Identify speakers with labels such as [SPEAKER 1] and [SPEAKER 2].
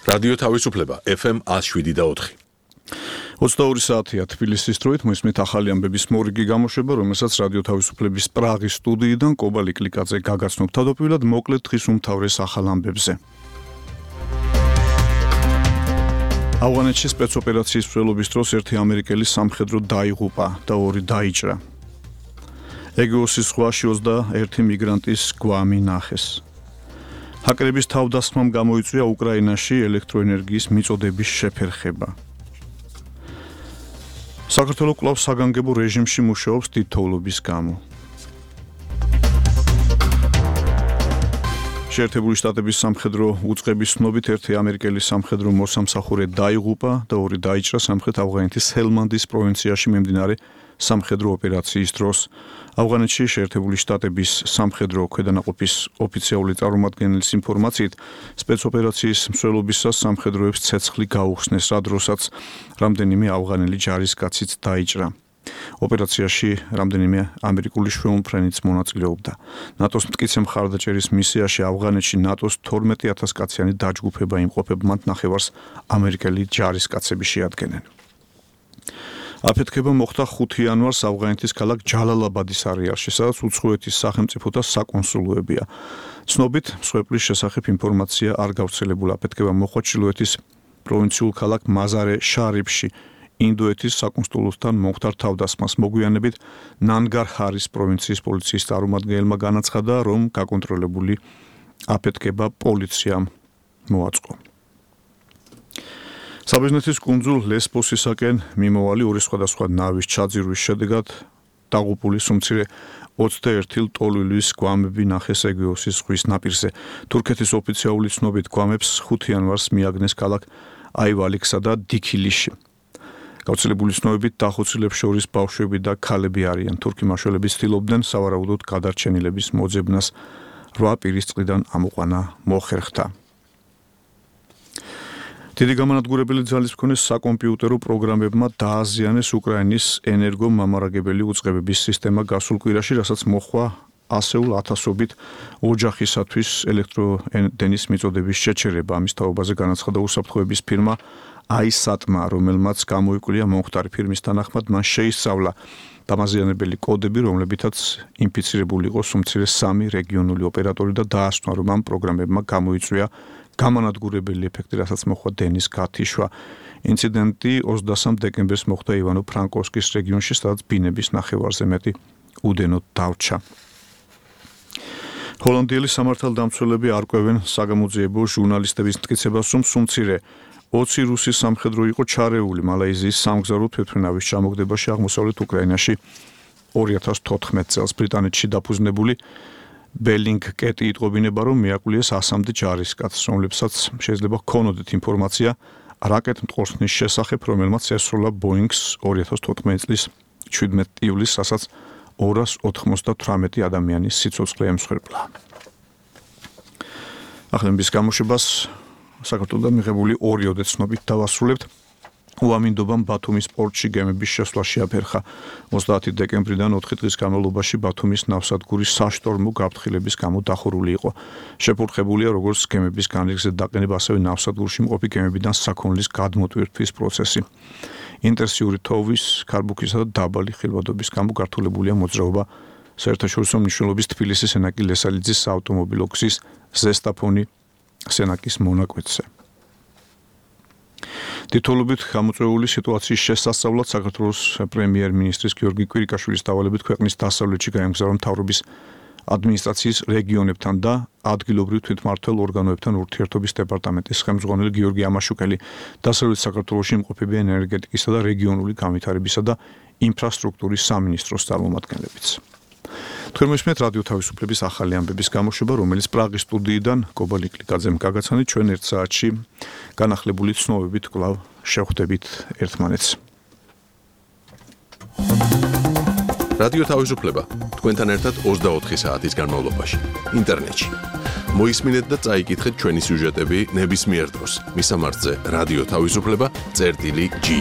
[SPEAKER 1] რადიო თავისუფლება FM 107.4.
[SPEAKER 2] 22 საათია თბილისის დროით მოისმით ახალი ამბების მორიგი გამოშვება, რომელსაც რადიო თავისუფლების პრაღის სტუდიიდან კობალი კლიკაძე გაგაცნობ თავდაპირველად მოკლედ დღის უმთავრეს ახალ ამბებზე. ავღანეთში სპეცოპერაციის მსვლელობის დროს ერთი ამერიკელი სამხედრო დაიღუპა და ორი დაიჭრა. ეგეოსის ზღვაში 21 მიგრანტის გვამი ნახეს. ჰაკერების თავდასხმამ გამოიწვია უკრაინაში ელექტროენერგიის მიწოდების შეფერხება. საქართველოს კვლავ საგანგებო რეჟიმში მუშაობს თითოეულობის გამო. შეერთებული შტატების სამხედრო უწყების ცნობით ერთი ამერიკელი სამხედრო მოსამსახურე დაიღუპა და ორი დაიჭრა სამხრეთ ავღანეთის ჰელმანდის პროვინციაში მიმდინარე სამხედრო ოპერაციის დროს. ავღანეთში შეერთებული შტატების სამხედრო ქვედანაყოფის ოფიციალური წარმომადგენლის ინფორმაციით, სპეცოპერაციის მსვლელობისას სამხედროებს ცეცხლი გაუხსნეს, რა დროსაც რამდენიმე ავღანელი ჯარისკაციც დაიჭრა. ოპერაციაში რამდენიმე ამერიკული შვეულმფრენიც მონაწილეობდა. ნატოს მტკიცე მხარდაჭერის მისიაში ავღანეთში ნატოს 12,000 კაციანი დაჯგუფება იმყოფება, მათ ნახევარს ამერიკელი ჯარისკაცები შეადგენენ. აფეთქება მოხდა 5 იანვარს ავღანეთის ქალაქ ჯალალაბადის არეალში, სადაც უცხოეთის სახელმწიფოთა საკონსულოებია. ცნობით, მსხვერპლის შესახებ ინფორმაცია არ გავრცელებულა. აფეთქება მოხდა ჩრდილოეთის პროვინციულ ქალაქ მაზარე შარიფში. ინდოეთის საკონსულოსთან მომხდარ თავდასხმას მოგვიანებით ნანგარჰარის პროვინციის პოლიციის წარმომადგენელმა განაცხადა, რომ გაკონტროლებული აფეთქება პოლიციამ მოაწყო. საბერძნეთის კუნძულ ლესბოსისაკენ მიმოვალი ორი სხვადასხვა ნავის ჩაძირვის შედეგად დაღუპული სუმცირე 21 ლტოლვილის გვამები ნახეს ეგეოსის ზღვის ნაპირზე. თურქეთის ოფიციალური ცნობით გვამებს 5 იანვარს მიაგნეს ქალაქ აივალიქსა და დიქილიში. გავრცელებული ცნობებით დახოცილებს შორის ბავშვები და ქალები არიან. თურქი მაშველები ცდილობდნენ სავარაუდოდ გადარჩენილების მოძებნას 8 პირის წყლიდან ამოყვანა მოხერხდა. დიდი გამანადგურებელი ძალის მქონე საკომპიუტერო პროგრამებმა დააზიანეს უკრაინის ენერგომამარაგებელი უწყებების სისტემა გასულ კვირაში, რასაც მოჰყვა ასეულ ათასობით ოჯახისათვის ელექტროენერგიის მიწოდების შეჩერება. ამის თაობაზე განაცხადა უსაფრთხოების ფირმა აისატმა, რომელმაც გამოიკვლია მომხდარი ფირმის თანახმად, მან შეისწავლა დამაზიანებელი კოდები, რომლებითაც ინფიცირებული იყო სუმცირე 3 რეგიონული ოპერატორი და დაასვნა, რომ ამ პროგრამებმა გამოიწვია გამანადგურებელი ეფექტი, რასაც მოჰყვა დენის გათიშვა. ინციდენტი 23 დეკემბერს მოხდა ივანო-ფრანკოვსკის რეგიონში, სადაც ბინების ნახევარზე მეტი უდენოდ დავრჩა. ჰოლანდიელი სამართალდამცველები არკვევენ საგამოძიებო ჟურნალისტების მტკიცებას, რომ სუმცირე 20 რუსი სამხედრო იყო ჩარეული მალაიზიის სამგზავრო თვითმფრინავის ჩამოგდებაში აღმოსავლეთ უკრაინაში 2014 წელს. ბრიტანეთში დაფუძნებული ბელინგკეტი იტყობინება, რომ მიაკვლიეს 100-მდე ჯარისკაცს, რომლებსაც შეიძლება ჰქონოდეთ ინფორმაცია რაკეტმტყორსნის შესახებ, რომელმაც ესროლა ბოინგს 2014 წლის 17 ივლისს, რასაც 298 ადამიანის სიცოცხლე ემსხვერპლა. ახალების გამოშვებას საქართველოსთან მიღებული 2 ოდეცნობით დავასრულებთ. უამინდობამ ბათუმის პორტში გემების შესვლა შეაფერხა. 30 დეკემბრიდან 4 დღის განმავლობაში ბათუმის ნავსადგური საშტორმო გაფრთხილების გამო დახურული იყო. შეფურხებულია როგორც გემების განრიგზე დაყენება, ასევე ნავსადგურში მყოფი გემებიდან საქონლის გადმოტვირთვის პროცესი. ინტენსიური თოვის, ქარბუქისა და დაბალი ხილვადობის გამო გართულებულია მოძრაობა საერთაშორისო მნიშვნელობის თბილისის სენაკი ლესალიძის საავტომობილო გზის ზესტაფონი სენაკის მონაკვეთზე. თითოეულობით გამოწვეული სიტუაციის შესასწავლად საქართველოს პრემიერ-მინისტრის გიორგი კვირიკაშვილის დავალებით ქვეყნის დასავლეთში გაემგზავრა მთავრობის ადმინისტრაციის რეგიონებთან და ადგილობრივ თვითმმართველ ორგანოებთან ურთიერთობის დეპარტამენტის ხელმძღვანელი გიორგი ამაშუკელი, დასავლეთ საქართველოში იმყოფება ენერგეტიკისა და რეგიონული განვითარებისა და ინფრასტრუქტურის სამინისტროს წარმომადგენლებიც. თქვენ მოსმენთ რადიო თავისუფლების ახალი ამბების გამოშვება, რომელიც პრაღის სტუდიიდან კობალი კლიკაძემ გაგაცანით. ჩვენ 1 საათში განახლებული ცნობებით კვლავ შევხვდებით ერთმანეთს.
[SPEAKER 1] რადიო თავისუფლება თქვენთან ერთად 24 საათის განმავლობაში ინტერნეტში. მოისმინეთ და წაიკითხეთ ჩვენი სიუჟეტები ნებისმიერ დროს. მისამართზე რადიო თავისუფლება.gi